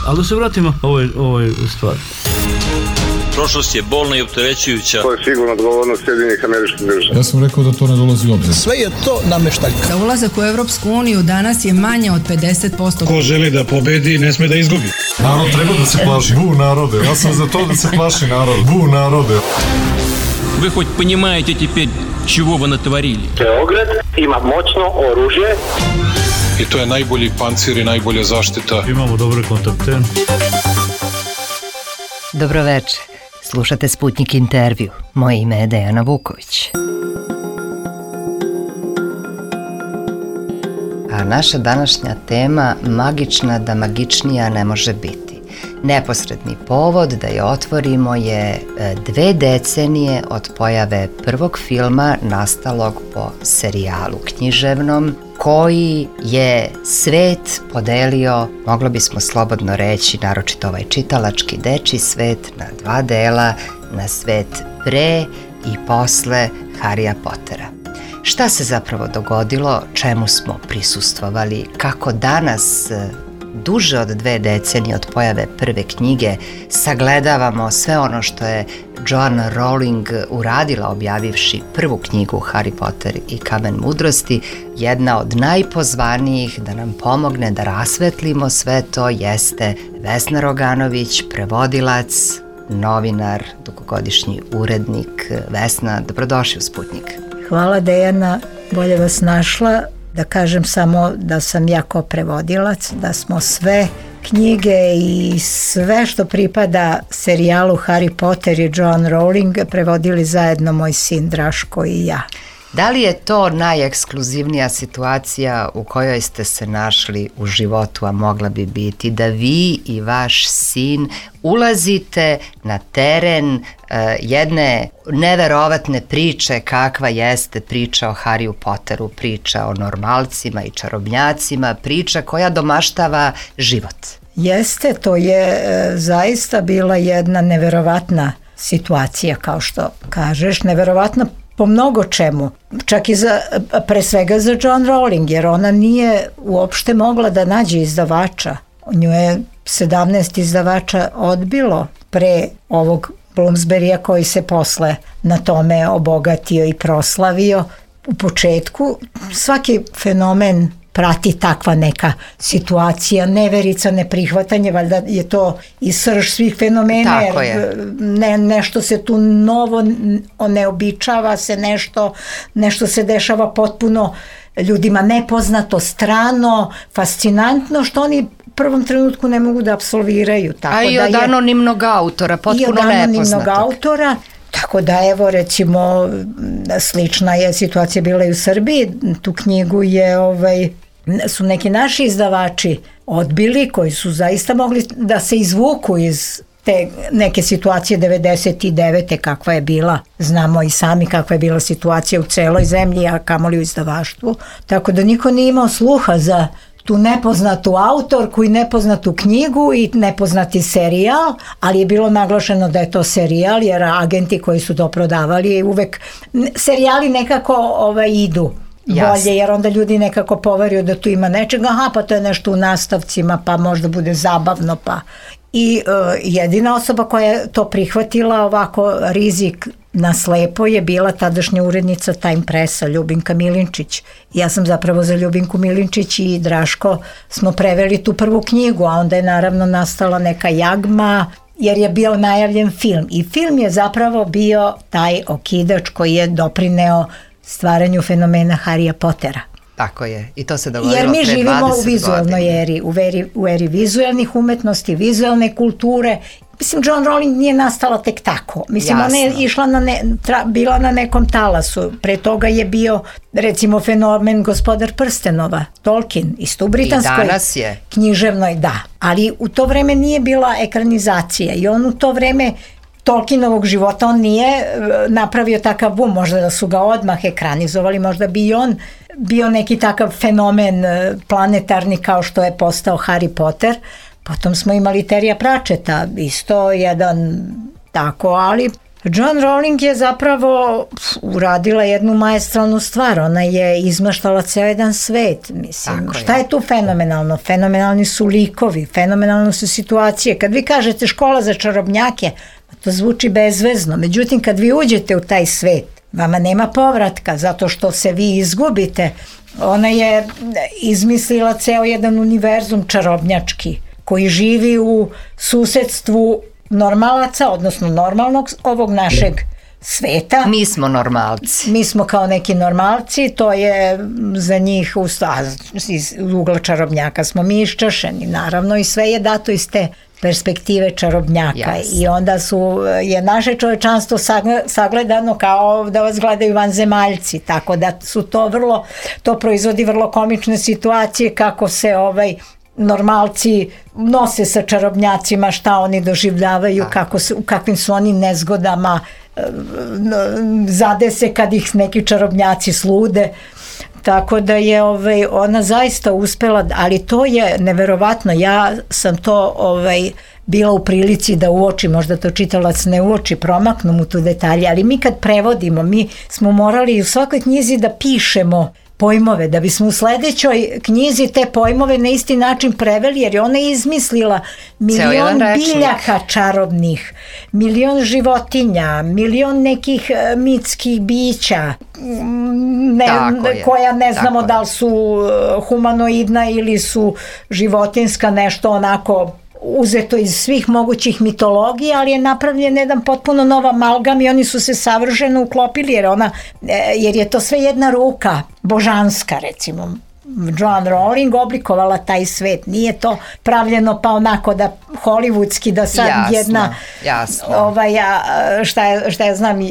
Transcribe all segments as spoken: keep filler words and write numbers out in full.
Ali da se vratimo ovoj, ovoj stvari. Prošlost je bolna i opterećujuća. To je sigurno odgovornost Sjedinjenih Američkih Država. Ja sam rekao da to ne dolazi u obzir. Sve je to nameštaljka. Da ulazak u Evropsku uniju danas je manje od pedeset posto. Ko želi da pobedi, ne sme da izgubi. Narod treba da se plaši. Bu narode. Ja sam za to da se plaši narod. Bu narode. Вы хоть понимаете теперь, чего вы натворили? Beograd ima moćno oružje. I to je najbolji pancir i najbolja zaštita. Imamo dobre kontakte. Dobroveče. Slušate Sputnik intervju. Moje ime je Dejana Vuković. A naša današnja tema magična da magičnija ne može biti. Neposredni povod da je otvorimo je dve decenije od pojave prvog filma nastalog po serijalu književnom koji je svet podelio, moglo bismo slobodno reći, naročito ovaj čitalački dečji svet, na dva dela, na svet pre i posle Harrya Pottera. Šta se zapravo dogodilo, čemu smo prisustvovali, kako danas, duže od dve decenije od pojave prve knjige, sagledavamo sve ono što je Joanna Rowling uradila objavivši prvu knjigu Harry Potter i Kamen mudrosti. Jedna od najpozvanijih da nam pomogne da rasvetlimo sve to jeste Vesna Roganović, prevodilac, novinar, dugogodišnji urednik. Vesna, dobrodošli u Sputnik. Hvala Dejana, bolje vas našla. Da kažem samo da sam ja kao prevodilac, da smo sve knjige i sve što pripada serijalu Harry Potter i Joanna Rowling prevodili zajedno moj sin Draško i ja. Da li je to najekskluzivnija situacija u kojoj ste se našli u životu, a mogla bi biti da vi i vaš sin ulazite na teren uh, jedne neverovatne priče kakva jeste priča o Harryu Potteru, priča o normalcima i čarobnjacima, priča koja domaštava život? Jeste, to je e, zaista bila jedna neverovatna situacija, kao što kažeš, neverovatna po mnogo čemu, čak i za, pre svega za Joanna Rowling, jer ona nije uopšte mogla da nađe izdavača. Nju je sedamnaest izdavača odbilo pre ovog Bloomsburyja koji se posle na tome obogatio i proslavio. U početku svaki fenomen prati takva neka situacija, neverica, neprihvatanje, valjda je to i srž svih fenomena. Tako je. Ne, nešto se tu novo neobičava se, nešto, nešto se dešava potpuno ljudima nepoznato, strano, fascinantno, što oni u prvom trenutku ne mogu da apsolviraju. Tako A i da od je, anonimnog autora, potpuno nepoznatog. I od anonimnog nepoznatog. autora. Tako da evo recimo slična je situacija bila i u Srbiji. Tu knjigu je ovaj, su neki naši izdavači odbili koji su zaista mogli da se izvuku iz te neke situacije devedeset devete kakva je bila. Znamo i sami kakva je bila situacija u celoj zemlji, a kamoli u izdavaštvu. Tako da niko nije imao sluha za tu nepoznatu autorku i nepoznatu knjigu i nepoznati serijal, ali je bilo naglašeno da je to serijal, jer agenti koji su to prodavali uvek, serijali nekako ovaj, idu bolje, jer onda ljudi nekako poveruju da tu ima nečega, aha, pa to je nešto u nastavcima, pa možda bude zabavno, pa i uh, jedina osoba koja je to prihvatila ovako rizik na slepo je bila tadašnja urednica Time Pressa Ljubinka Milinčić. Ja sam zapravo za Ljubinku Milinčić i Draško smo preveli tu prvu knjigu, a onda je naravno nastala neka jagma jer je bio najavljen film. I film je zapravo bio taj okidač koji je doprineo stvaranju fenomena Harrya Pottera. Tako je, i to se dogodilo jer mi pre živimo u vizualnoj godina. eri, u eri, u eri vizualnih umetnosti, vizualne kulture. Mislim, Joanna Rowling nije nastala tek tako. Mislim, Jasno. ona je išla na ne, tra, bila na nekom talasu. Pre toga je bio, recimo, fenomen Gospodar prstenova, Tolkien, isto u britanskoj I danas je. književnoj, da. Ali u to vreme nije bila ekranizacija i on u to vreme Tolkienovog života, on nije napravio takav bum, možda da su ga odmah ekranizovali, možda bi i on bio neki takav fenomen planetarni kao što je postao Harry Potter. Potom smo imali Terija Pratchetta, isto jedan tako, ali Joan Rowling je zapravo pf, uradila jednu maestralnu stvar, ona je izmaštala ceo jedan svet, mislim. Tako Šta je. je tu fenomenalno? Fenomenalni su likovi, fenomenalne su situacije. Kad vi kažete škola za čarobnjake, to zvuči bezvezno, međutim kad vi uđete u taj svet, vama nema povratka zato što se vi izgubite. Ona je izmislila ceo jedan univerzum čarobnjački koji živi u susedstvu normalaca, odnosno normalnog ovog našeg sveta. Mi smo normalci. Mi smo kao neki normalci, to je za njih u, iz ugla čarobnjaka smo mi iščašeni, naravno, i sve je dato iz te perspektive čarobnjaka. Jasne. I onda su, je naše čovečanstvo sagledano kao da vas gledaju vanzemaljci, tako da su to vrlo, to proizvodi vrlo komične situacije kako se ovaj normalci nose sa čarobnjacima, šta oni doživljavaju, kako su, u kakvim su oni nezgodama zadese kad ih neki čarobnjaci slude. Tako da je ovaj, ona zaista uspela, ali to je neverovatno. Ja sam to ovaj, bila u prilici da uoči, možda to čitalac ne uoči, promaknu mu tu detalje, ali mi kad prevodimo, mi smo morali u svakoj knjizi da pišemo pojmove, da bismo u sledećoj knjizi te pojmove na isti način preveli, jer je ona izmislila milion biljaka čarobnih, milion životinja, milion nekih mitskih bića, ne, koja ne znamo da li su humanoidna ili su životinska, nešto onako uzeto iz svih mogućih mitologija, ali je napravljen jedan potpuno nov amalgam i oni su se savršeno uklopili, jer ona, jer je to sve jedna ruka božanska, recimo. Joan Rowling oblikovala taj svet, nije to pravljeno pa onako da hollywoodski, da sad jasno, jedna jasno. Ovaj, šta, je, šta ja znam,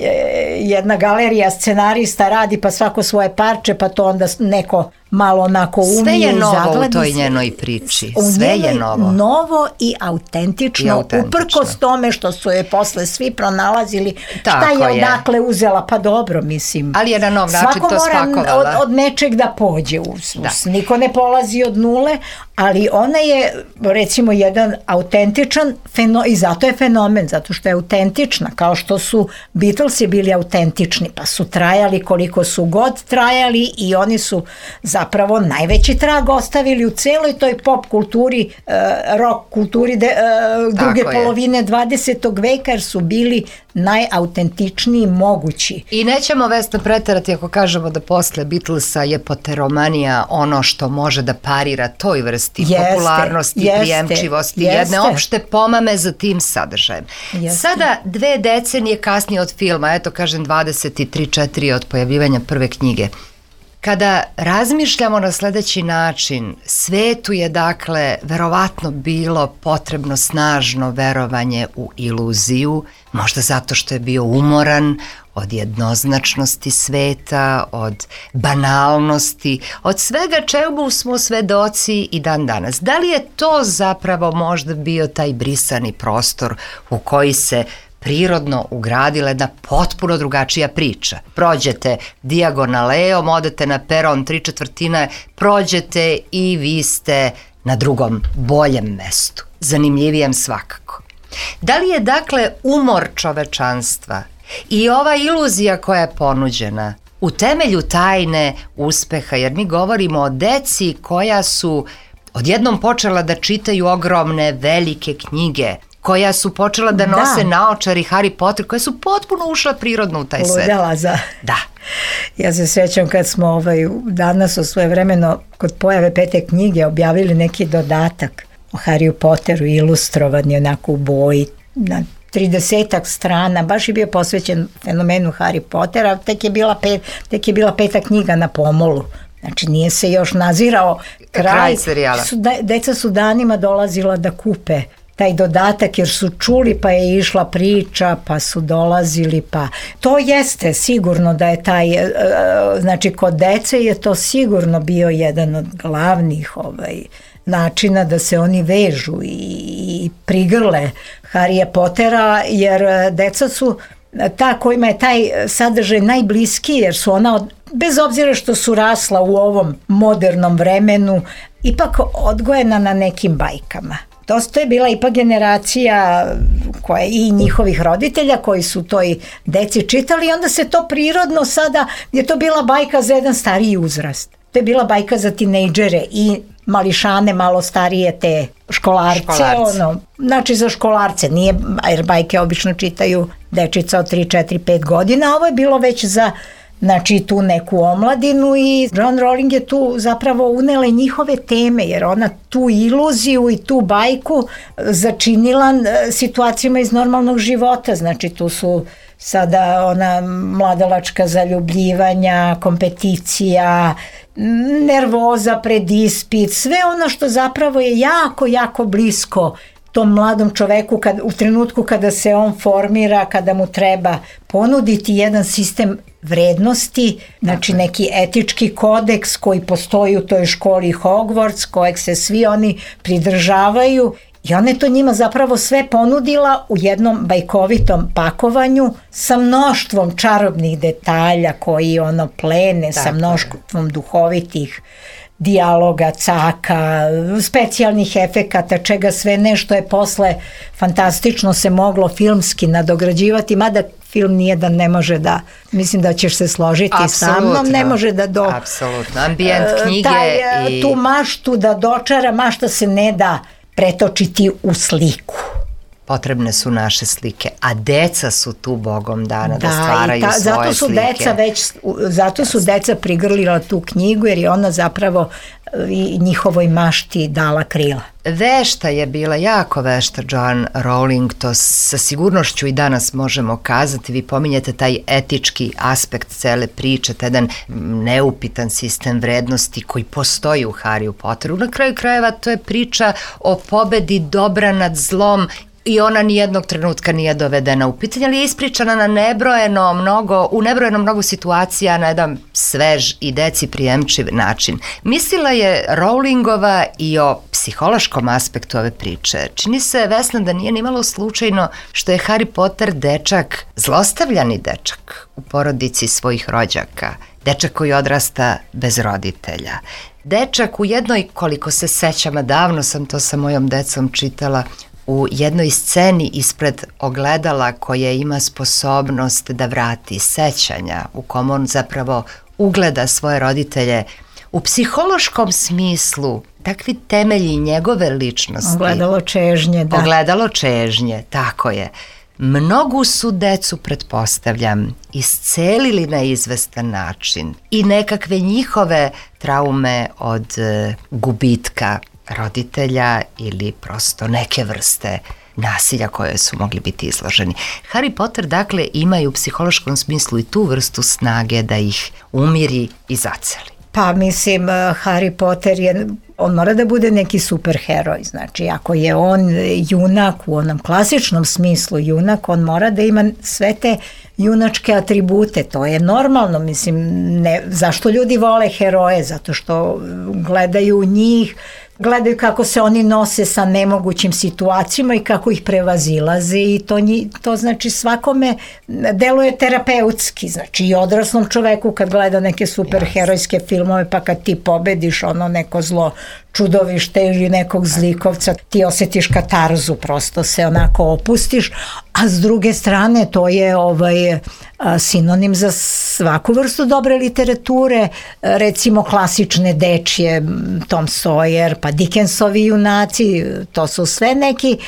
jedna galerija scenarista radi pa svako svoje parče, pa to onda neko malo onako umije i zagledi. Sve je novo u toj njenoj priči, sve je novo. Novo i autentično, I autentično. Uprkos tome što su je posle svi pronalazili, tako šta je, je odakle uzela, pa dobro, mislim. Ali je na nov način to spakovala. Svako mora od, od nečeg da pođe, u, da. Niko ne polazi od nule, ali ona je, recimo, jedan autentičan fenomen, i zato je fenomen, zato što je autentična, kao što su Beatlesi bili autentični, pa su trajali koliko su god trajali i oni su zapravo najveći trag ostavili u celoj toj pop kulturi, uh, rock kulturi de, uh, druge Tako polovine je. dvadesetog veka, jer su bili najautentičniji mogući. I nećemo, Vesna, preterati ako kažemo da posle Beatlesa je poteromanija ono što može da parira toj vrsti jeste, popularnosti, jeste, prijemčivosti, jeste. Jedne opšte pomame za tim sadržajem. Jeste. Sada, dve decenije kasnije od filma, eto kažem dvadeset tri četiri od pojavljivanja prve knjige, kada razmišljamo na sledeći način, svetu je dakle verovatno bilo potrebno snažno verovanje u iluziju, možda zato što je bio umoran od jednoznačnosti sveta, od banalnosti, od svega čemu smo svedoci i dan danas. Da li je to zapravo možda bio taj brisani prostor u koji se prirodno ugradila jedna potpuno drugačija priča? Prođete dijagonaleom, odete na peron tri četvrtine, prođete i vi ste na drugom, boljem mestu, zanimljivijem svakako. Da li je dakle umor čovečanstva i ova iluzija koja je ponuđena u temelju tajne uspeha, jer mi govorimo o deci koja su odjednom počela da čitaju ogromne, velike knjige, koja su počela da nose da. naočari Harry Potter, koja su potpuno ušla prirodno u taj svet. Ludala za... Da. Ja se sjećam kad smo ovaj, danas o svoje vremeno kod pojave pete knjige objavili neki dodatak o Harry Potteru, ilustrovan je onako u boji, na tridesetak strana, baš je bio posvećen fenomenu Harry Pottera, tek je bila, pet, tek je bila peta knjiga na pomolu. Znači nije se još nazirao kraj, kraj serijala. Su, deca su danima dolazila da kupe taj dodatak jer su čuli, pa je išla priča, pa su dolazili, pa to jeste sigurno da je taj, znači kod dece je to sigurno bio jedan od glavnih ovaj, načina da se oni vežu i, i prigrle Harrya Pottera, jer deca su ta kojima je taj sadržaj najbliskiji, jer su ona od, bez obzira što su rasla u ovom modernom vremenu, ipak odgojena na nekim bajkama. Dosta je bila ipak generacija koje, i njihovih roditelja koji su toj deci čitali i onda se to prirodno sada, je to bila bajka za jedan stariji uzrast. To je bila bajka za tinejdžere i mališane malo starije te školarce, školarce. Ono, znači za školarce, nije, jer bajke obično čitaju dečica od tri, četiri, pet godina, a ovo je bilo već za znači tu neku omladinu i Joanne Rowling je tu zapravo unela i njihove teme, jer ona tu iluziju i tu bajku začinila situacijama iz normalnog života, znači tu su sada ona mladalačka zaljubljivanja, kompeticija, nervoza pred ispit, sve ono što zapravo je jako, jako blisko tom mladom čoveku kad, u trenutku kada se on formira, kada mu treba ponuditi jedan sistem vrednosti, znači neki etički kodeks koji postoji u toj školi Hogwarts, kojeg se svi oni pridržavaju. I ona je to njima zapravo sve ponudila u jednom bajkovitom pakovanju sa mnoštvom čarobnih detalja koji ono plene, tako sa mnoštvom duhovitih dijaloga, caka, specijalnih efekata, čega sve nešto je posle fantastično se moglo filmski nadograđivati, mada film nijedan ne može da, mislim da ćeš se složiti sa mnom, ne može da do... Apsolutno, ambijent knjige taj, i... tu maštu da dočara, mašta se ne da pretočiti u sliku. Potrebne su naše slike, a deca su tu bogom dana da, da stvaraju ta, svoje zato su slike. Deca već, zato su deca prigrlila tu knjigu jer je ona zapravo i njihovoj mašti dala krila. Vešta je bila, jako vešta Joanne Rowling, to sa sigurnošću i danas možemo kazati. Vi pominjete taj etički aspekt cele priče, taj jedan neupitan sistem vrednosti koji postoji u Harryju Potteru. Na kraju krajeva to je priča o pobedi dobra nad zlom i ona nijednog trenutka nije dovedena u pitanje, ali je ispričana na nebrojeno mnogo, u nebrojeno mnogo situacija na jedan svež i deci prijemčiv način. Mislila je Rowlingova i o psihološkom aspektu ove priče. Čini se, Vesna, da nije nimalo slučajno što je Harry Potter dečak, zlostavljani dečak u porodici svojih rođaka, dečak koji odrasta bez roditelja. Dečak u jednoj, koliko se sećam, a davno sam to sa mojom decom čitala, u jednoj sceni ispred ogledala koje ima sposobnost da vrati sećanja, u kom on zapravo ugleda svoje roditelje, u psihološkom smislu takvi temelji njegove ličnosti. Ogledalo čežnje, da. Ogledalo čežnje, tako je. Mnogu su decu, pretpostavljam, iscelili na izvestan način i nekakve njihove traume od e, gubitka roditelja ili prosto neke vrste nasilja koje su mogli biti izloženi. Harry Potter dakle ima i u psihološkom smislu i tu vrstu snage da ih umiri i zaceli. Pa mislim, Harry Potter je, on mora da bude neki superheroj, znači ako je on junak u onom klasičnom smislu junak, on mora da ima sve te junačke atribute, to je normalno, mislim, ne, zašto ljudi vole heroje, zato što gledaju njih, gledaju kako se oni nose sa nemogućim situacijama i kako ih prevazilaze i to, nji, to znači svakome deluje terapeutski, znači i odraslom čoveku kad gleda neke superherojske filmove pa kad ti pobediš ono neko zlo čudovište ili nekog zlikovca, ti osjetiš katarzu, prosto se onako opustiš, a s druge strane to je ovaj a, sinonim za svaku vrstu dobre literature, recimo klasične dečje, Tom Sawyer, pa Dickensovi junaci, to su sve neki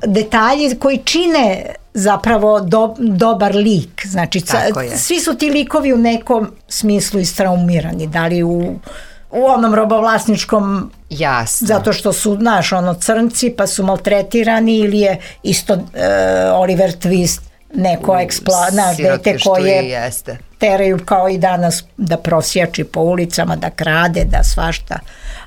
detalji koji čine zapravo do, dobar lik, znači svi su ti likovi u nekom smislu istraumirani, da li u u onom robovlasničkom, jasno, zato što su, znaš, ono crnci pa su maltretirani ili je isto uh, Oliver Twist neko ekspla, znaš, dete koje teraju kao i danas da prosjači po ulicama, da krade, da svašta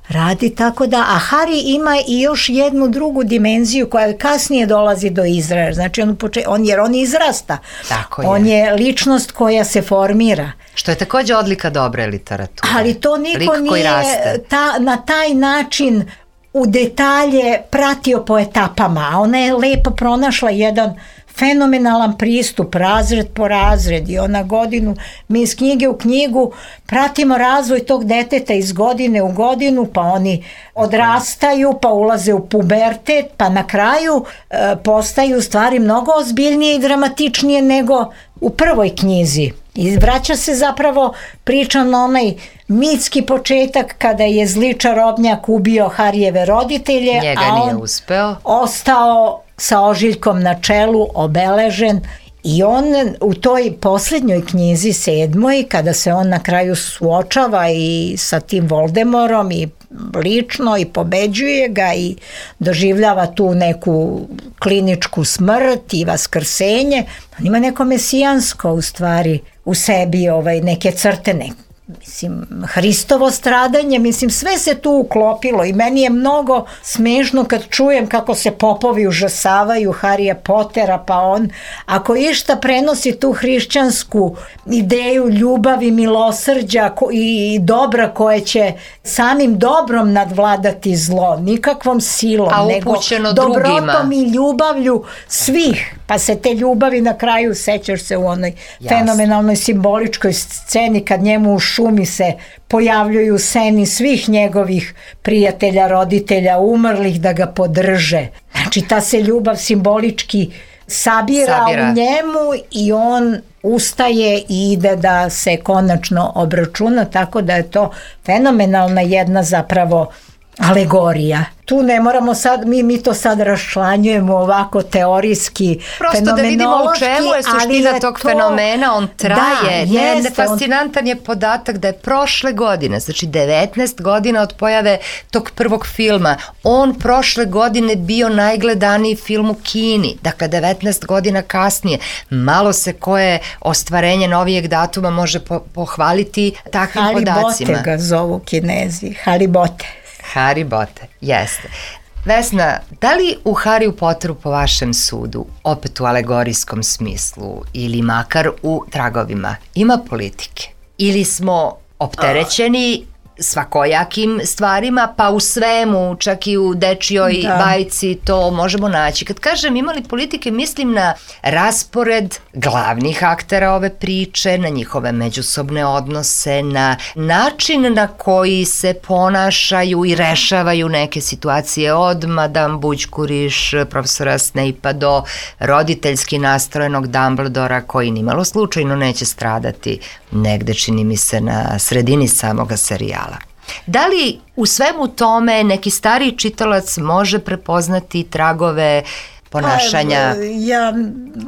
radi, tako da, a Harry ima i još jednu drugu dimenziju koja kasnije dolazi do izražaja, znači on, poče, on, jer on izrasta, tako je. On je ličnost koja se formira. Što je takođe odlika dobre literature. Ali to niko nije ta, na taj način u detalje pratio po etapama, a ona je lepo pronašla jedan fenomenalan pristup, razred po razred i ona godinu, mi iz knjige u knjigu pratimo razvoj tog deteta iz godine u godinu, pa oni odrastaju, pa ulaze u pubertet, pa na kraju e, postaju stvari mnogo ozbiljnije i dramatičnije nego u prvoj knjizi. I vraća se zapravo priča na onaj mitski početak kada je zli čarobnjak ubio Harijeve roditelje, njega a nije on uspeo. ostao sa ožiljkom na čelu, obeležen. I on u toj posljednjoj knjizi, sedmoj, kada se on na kraju suočava i sa tim Voldemorom i lično i pobeđuje ga i doživljava tu neku kliničku smrt i vaskrsenje, on ima neko mesijansko u stvari u sebi, ovaj, neke crte, ne, mislim, Hristovo stradanje, mislim, sve se tu uklopilo i meni je mnogo smešno kad čujem kako se popovi užasavaju Harija Potera, pa on, ako išta prenosi tu hrišćansku ideju ljubavi, milosrđa i dobra koje će samim dobrom nadvladati zlo, nikakvom silom, a nego dobrotom drugima. I ljubavlju svih, pa se te ljubavi na kraju, sećaš se u onoj Jasne. fenomenalnoj simboličkoj sceni kad njemu u šumi se pojavljuju seni svih njegovih prijatelja, roditelja, umrlih da ga podrže. Znači ta se ljubav simbolički sabira, sabira. u njemu i on ustaje i ide da se konačno obračuna, tako da je to fenomenalna jedna zapravo alegorija. Tu ne moramo sad, mi, mi to sad raščlanjujemo ovako teorijski, prosto da vidimo u čemu je suština je tog to... fenomena, on traje. Da, ne, ne, fascinantan on... je podatak da je prošle godine, znači devetnaest godina od pojave tog prvog filma, on prošle godine bio najgledaniji film u Kini, dakle devetnaest godina kasnije. Malo se koje ostvarenje novijeg datuma može po, pohvaliti takvim Halibote podacima. Halibote ga zovu Kinezi, Halibote. Haribote, jeste. Vesna, da li u Hariju Potteru po vašem sudu, opet u alegorijskom smislu ili makar u tragovima, ima politike? Ili smo opterećeni svakojakim stvarima, pa u svemu, čak i u dečijoj da. bajci to možemo naći. Kad kažem imali politike, mislim na raspored glavnih aktera ove priče, na njihove međusobne odnose, na način na koji se ponašaju i rešavaju neke situacije od Madame Bućkuriš, profesora Snape-a do roditeljski nastrojenog Dumbledora koji nimalo slučajno neće stradati negde, čini mi se, na sredini samoga serijala. Da li u svemu tome neki stariji čitalac može prepoznati tragove ponašanja pa, ja,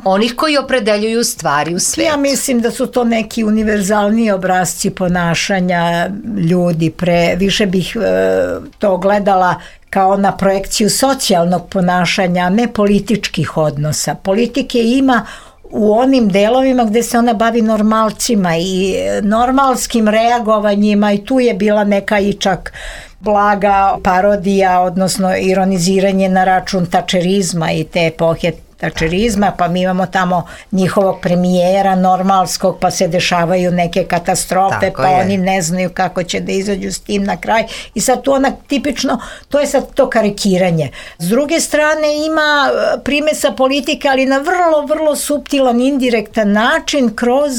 onih koji opredeljuju stvari u svijetu? Ja mislim da su to neki univerzalni obrazci ponašanja ljudi. Pre, više bih e, to gledala kao na projekciju socijalnog ponašanja, a ne političkih odnosa. Politike ima u onim delovima gde se ona bavi normalcima i normalskim reagovanjima i tu je bila neka i čak blaga parodija, odnosno ironiziranje na račun tačerizma i te epohe tačerizma, pa mi imamo tamo njihovog premijera normalskog, pa se dešavaju neke katastrofe, tako pa je. Oni ne znaju kako će da izađu s tim na kraj i sad tu ona tipično, to je sad to karikiranje. S druge strane ima primesa politike, ali na vrlo, vrlo suptilan, indirektan način kroz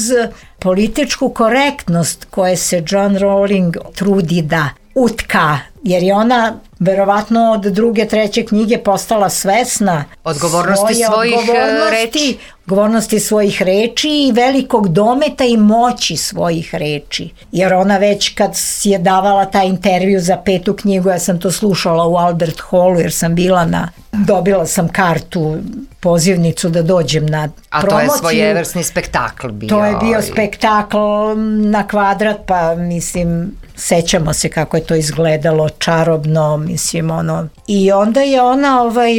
političku korektnost koje se John Rowling trudi da utka, jer je ona verovatno od druge, treće knjige postala svesna odgovornosti svoje svojih odgovornosti, reči. odgovornosti svojih reči i velikog dometa i moći svojih reči. Jer ona već kad je davala taj intervju za petu knjigu, ja sam to slušala u Albert Hallu jer sam bila na, dobila sam kartu, pozivnicu da dođem na a promociju. A to je svojevrsni spektakl bio. To je bio spektakl na kvadrat, pa mislim, sećamo se kako je to izgledalo, čarobno, mislim, ono. I onda je ona ovaj,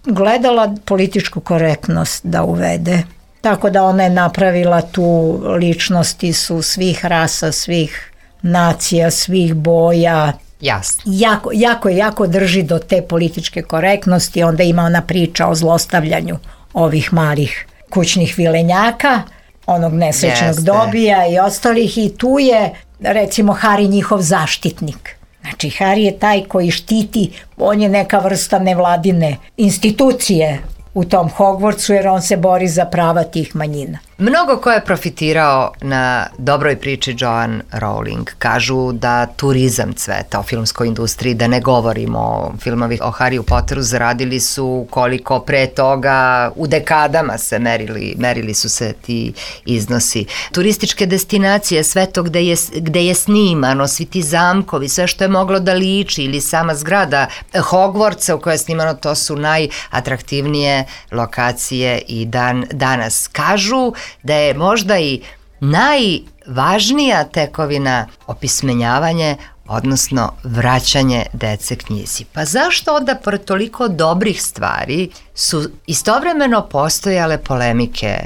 gledala političku korektnost da uvede. Tako da ona je napravila tu, ličnosti su svih rasa, svih nacija, svih boja. Jasno. Jako, jako, jako drži do te političke korektnosti. Onda ima ona priča o zlostavljanju ovih malih kućnih vilenjaka, onog nesrećnog Jeste. Dobija i ostalih, i tu je recimo Harry njihov zaštitnik. Znači Harry je taj koji štiti, on je neka vrsta nevladine institucije u tom Hogwartsu jer on se bori za prava tih manjina. Mnogo ko je profitirao na dobroj priči Joanne Rowling. Kažu da turizam cveta u filmskoj industriji, da ne govorimo, filmovi o Harryu Potteru zaradili su koliko pre toga, u dekadama se merili, merili su se ti iznosi. Turističke destinacije, sve to gde je, gde je snimano, svi ti zamkovi, sve što je moglo da liči ili sama zgrada Hogwartsa u kojoj je snimano, to su najatraktivnije lokacije i dan danas. Kažu da je možda i najvažnija tekovina opismenjavanje, odnosno vraćanje dece knjizi. Pa zašto onda, pored toliko dobrih stvari, su istovremeno postojale polemike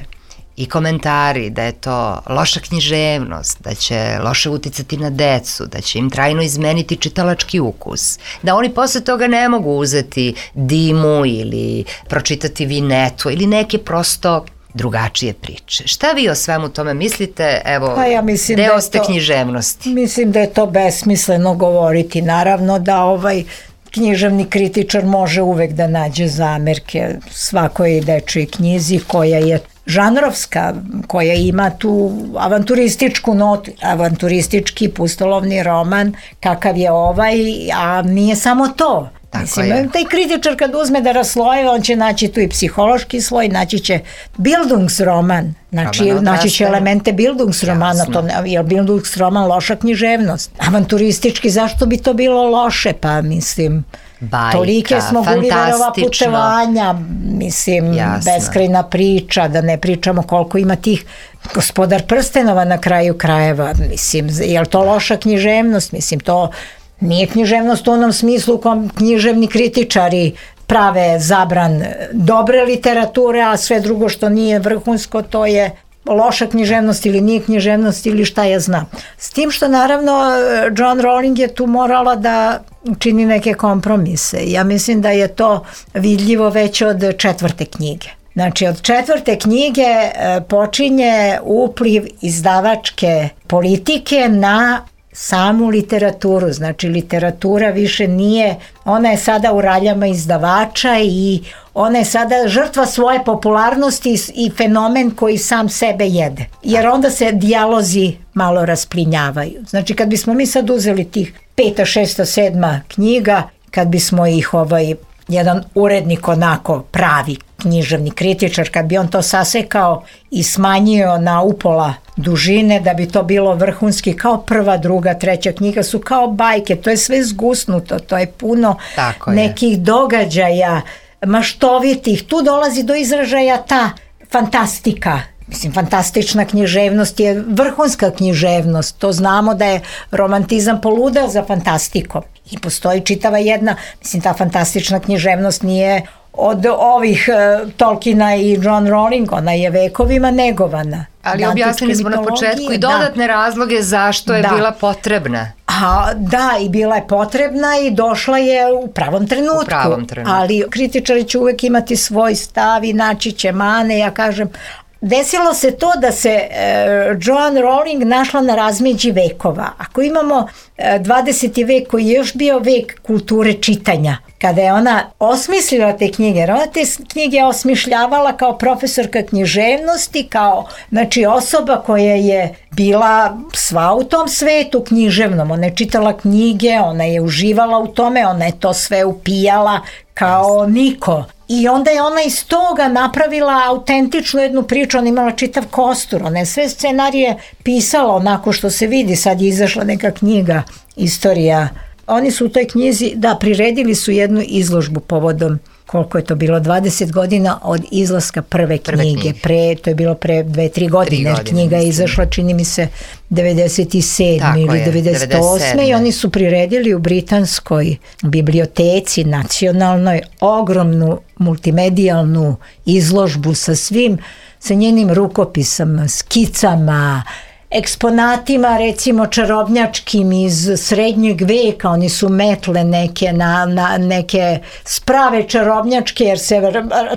i komentari da je to loša književnost, da će loše uticati na decu, da će im trajno izmeniti čitalački ukus, da oni posle toga ne mogu uzeti Dimu ili pročitati Vinetu ili neke prosto drugačije priče. Šta vi o svemu tome mislite? Evo, pa ja mislim deo da ste to, književnosti. Mislim da je to besmisleno govoriti. Naravno da ovaj književni kritičar može uvek da nađe zamerke svakoj dečoj knjizi koja je žanrovska, koja ima tu avanturističku notu, avanturistički pustolovni roman kakav je ovaj, a nije samo to. Tako Mislim, je. Taj kritičar kad uzme da raslojeva, on će naći tu i psihološki sloj, naći će Bildungsroman, znači roman naći će elemente Bildungsromana, to, je Bildungsroman loša književnost. Avanturistički, zašto bi to bilo loše? Pa mislim, bajka, tolike smo Gulliverova putovanja, mislim, jasno. Beskrajna priča, da ne pričamo koliko ima tih Gospodar prstenova na kraju krajeva, mislim, je li to loša književnost? Mislim, to nije književnost u onom smislu u kom književni kritičari prave zabran dobre literature, a sve drugo što nije vrhunsko, to je loša književnost ili nije književnost ili šta ja znam. S tim što naravno Joanne Rowling je tu morala da čini neke kompromise. Ja mislim da je to vidljivo već od četvrte knjige. Znači od četvrte knjige počinje upliv izdavačke politike na samu literaturu, znači literatura više nije, ona je sada u raljama izdavača i ona je sada žrtva svoje popularnosti i fenomen koji sam sebe jede. Jer onda se dijalozi malo rasplinjavaju. Znači kad bismo mi sad uzeli tih peta, šesta, sedma knjiga, kad bismo ih ovaj jedan urednik onako pravi književni kritičar, kad bi on to sasekao i smanjio na upola dužine da bi to bilo vrhunski, kao prva, druga, treća knjiga su kao bajke, to je sve zgusnuto, to je puno Tako nekih je. događaja maštovitih, tu dolazi do izražaja ta fantastika. Mislim, fantastična književnost je vrhunska književnost, to znamo da je romantizam poludeo za fantastikom i postoji čitava jedna, mislim, ta fantastična književnost nije od ovih uh, Tolkiena i Joanne Rowling, ona je vekovima negovana. Ali objasnili smo na početku i dodatne da. razloge zašto je da. bila potrebna. A, da, i bila je potrebna i došla je u pravom trenutku. U pravom trenutku. Ali kritičari će uvek imati svoj stav i naći će mane, ja kažem. Desilo se to da se e, Joanne Rowling našla na razmeđi vekova. Ako imamo e, dvadeseti vek koji je još bio vek kulture čitanja, kada je ona osmislila te knjige, jer ona te knjige osmišljavala kao profesorka književnosti, kao znači osoba koja je bila sva u tom svetu književnom, ona je čitala knjige, ona je uživala u tome, ona je to sve upijala kao niko. I onda je ona iz toga napravila autentičnu jednu priču, ona imala čitav kostur, ona je sve scenarije pisala onako što se vidi, sad je izašla neka knjiga, istorija. Oni su u toj knjizi, da, priredili su jednu izložbu povodom, koliko je to bilo, dvadeset godina od izlaska prve knjige, prve knjige. Pre, to je bilo pre dve, tri godine, godine knjiga je izašla, čini mi se, devedeset sedme ili devedeset osme i oni su priredili u britanskoj biblioteci nacionalnoj ogromnu multimedijalnu izložbu sa svim, sa njenim rukopisama, skicama, eksponatima recimo čarobnjačkim iz srednjeg veka, oni su metle neke na, na neke sprave čarobnjačke jer se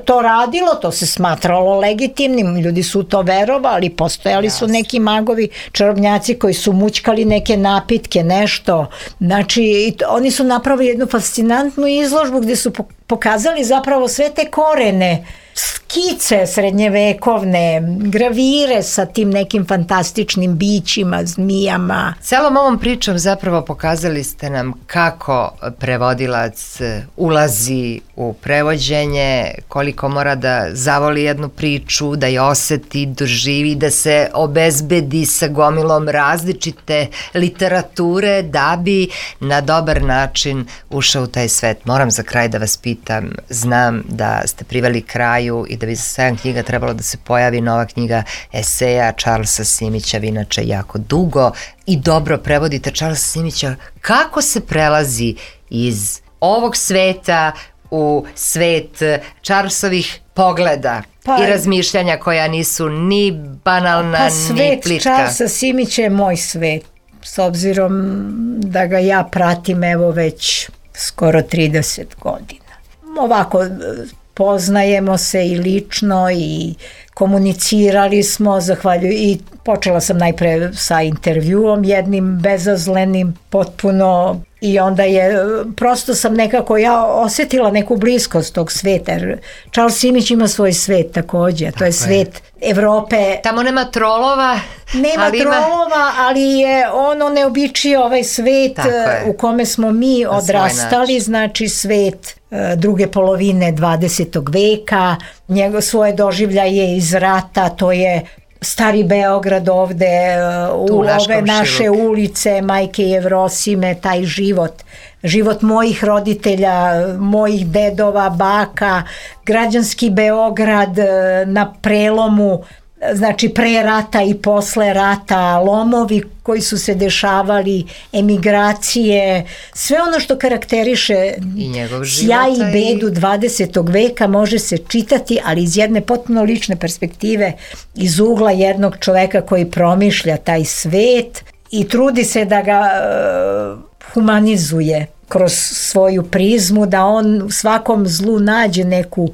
to radilo, to se smatralo legitimnim, ljudi su to verovali, postojali su neki magovi čarobnjaci koji su mućkali neke napitke, nešto, znači oni su napravili jednu fascinantnu izložbu gdje su pokazali zapravo sve te korene, skice srednjevekovne, gravire sa tim nekim fantastičnim bićima, zmijama. Celom ovom pričom zapravo pokazali ste nam kako prevodilac ulazi u prevođenje, koliko mora da zavoli jednu priču, da je oseti, doživi, da se obezbedi sa gomilom različite literature da bi na dobar način ušao u taj svet. Moram za kraj da vas pitam, znam da ste priveli kraju i da bi za sedam knjiga trebalo da se pojavi nova knjiga eseja Charlesa Simića, vi inače jako dugo i dobro prevodite Charlesa Simića. Kako se prelazi iz ovog sveta u svet Charlesovih pogleda pa, i razmišljanja koja nisu ni banalna, pa ni plitka? Svet Charlesa Simića je moj svet, s obzirom da ga ja pratim evo već skoro trideset godina. Ovako, poznajemo se i lično i komunicirali smo, zahvaljuju, i počela sam najpre sa intervjuom jednim bezazlenim, potpuno, i onda je, prosto sam nekako, ja osetila neku bliskost tog sveta, jer Charles Simić ima svoj svet takođe, to je svet Evrope. Tamo nema trolova. Nema ali trolova, ima... ali je ono neobičio ovaj svet u kome smo mi odrastali, znači svet druge polovine dvadesetog veka, njegov svoje doživljaje iz rata, to je Stari Beograd ovde, u ove naše ulice, Majke Jevrosime, taj život, život mojih roditelja, mojih dedova, baka, građanski Beograd na prelomu, znači pre rata i posle rata, lomovi koji su se dešavali, emigracije, sve ono što karakteriše sjaj i bedu dvadesetog veka može se čitati, ali iz jedne potpuno lične perspektive, iz ugla jednog čoveka koji promišlja taj svet i trudi se da ga uh, humanizuje kroz svoju prizmu, da on u svakom zlu nađe neku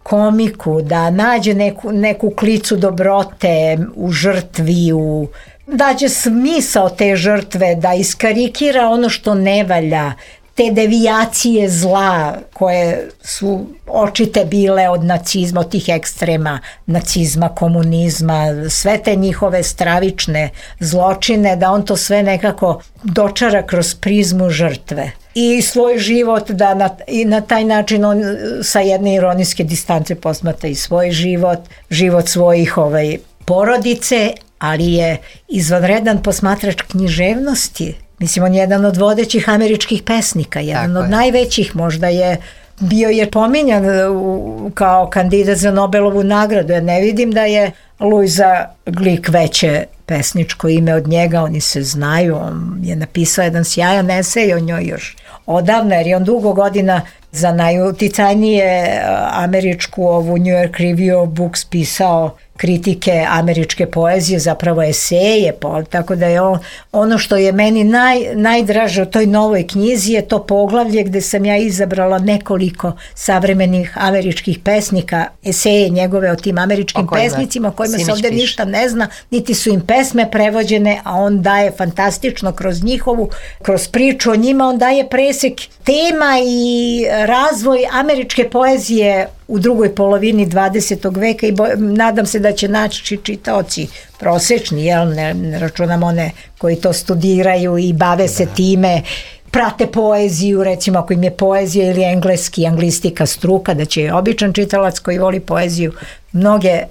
komiku, da nađe neku, neku klicu dobrote u žrtvi, u, dađe smisao te žrtve, da iskarikira ono što ne valja, te devijacije zla koje su očite bile od nacizma, od tih ekstrema nacizma, komunizma, sve te njihove stravične zločine, da on to sve nekako dočara kroz prizmu žrtve. I svoj život, da na, i na taj način on sa jedne ironijske distance posmatra i svoj život, život svojih ovaj, porodice, ali je izvanredan posmatrač književnosti. Mislim, on je jedan od vodećih američkih pesnika, jedan Tako od je. najvećih, možda je bio je pominjan u, kao kandidat za Nobelovu nagradu. Ja ne vidim da je Luisa Glick veće pesničko ime od njega, oni se znaju, on je napisao jedan sjajan esej o njoj još odavno, jer je on dugo godina za najuticajnije američku ovu New York Review of Books pisao kritike američke poezije, zapravo eseje, tako da je on, ono što je meni naj, najdraže u toj novoj knjizi je to poglavlje gde sam ja izabrala nekoliko savremenih američkih pesnika, eseje njegove o tim američkim o kojima, pesnicima o kojima se ovde piše. Ništa ne zna, niti su im pesme prevođene, a on daje fantastično kroz njihovu, kroz priču o njima, on daje presek tema i razvoj američke poezije u drugoj polovini dvadesetog veka i bo, nadam se da će naći čitaoci prosečni, jel, ne, ne računam one koji to studiraju i bave da. se time, prate poeziju, recimo ako im je poezija ili engleski, anglistika struka, da će običan čitalac koji voli poeziju mnoge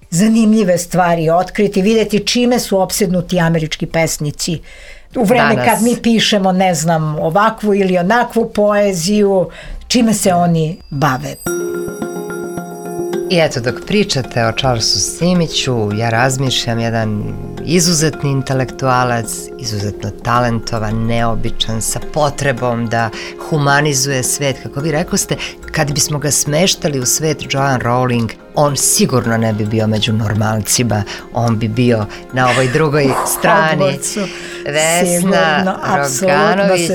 zanimljive stvari otkriti, vidjeti čime su opsednuti američki pesnici. U vreme Danas. kad mi pišemo, ne znam, ovakvu ili onakvu poeziju, čime se oni bave. I eto, dok pričate o Charlesu Simiću, ja razmišljam, jedan izuzetni intelektualac, izuzetno talentovan, neobičan, sa potrebom da humanizuje svet. Kako vi rekoste, kad bismo ga smeštali u svet Joanne Rowling, on sigurno ne bi bio među normalcima, on bi bio na ovoj drugoj strani. Vesna Roganović,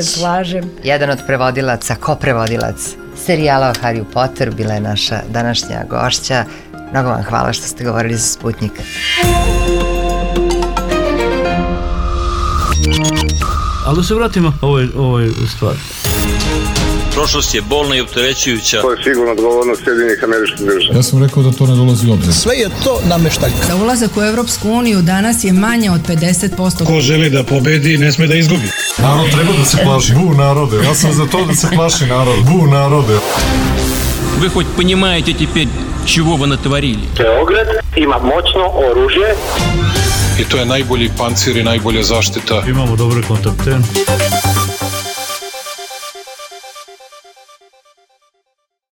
jedan od prevodilaca, koprevodilac serijala o Harry Potteru, bila je naša današnja gošća. Mnogo vam hvala što ste govorili za Sputnjik. Ali da se vratimo ovoj, ovoj stvari. Prošlost je bolna i opterećujuća. To je sigurno odgovornost Sjedinjenih Američkih Država. Ja sam rekao da to ne dolazi u obzir. Sve je to nameštaljka. Za ulazak u Evropsku uniju danas je manje od pedeset posto. Ko želi da pobedi, ne sme da izgubi. Narod treba da se plaši. Bu narode. Ja sam za to da se plaši narod. Bu narode. Вы хоть понимаете теперь, чего вы натворили? Beograd ima moćno oružje. I to je najbolji pancir i najbolja zaštita. Imamo dobre kontakte.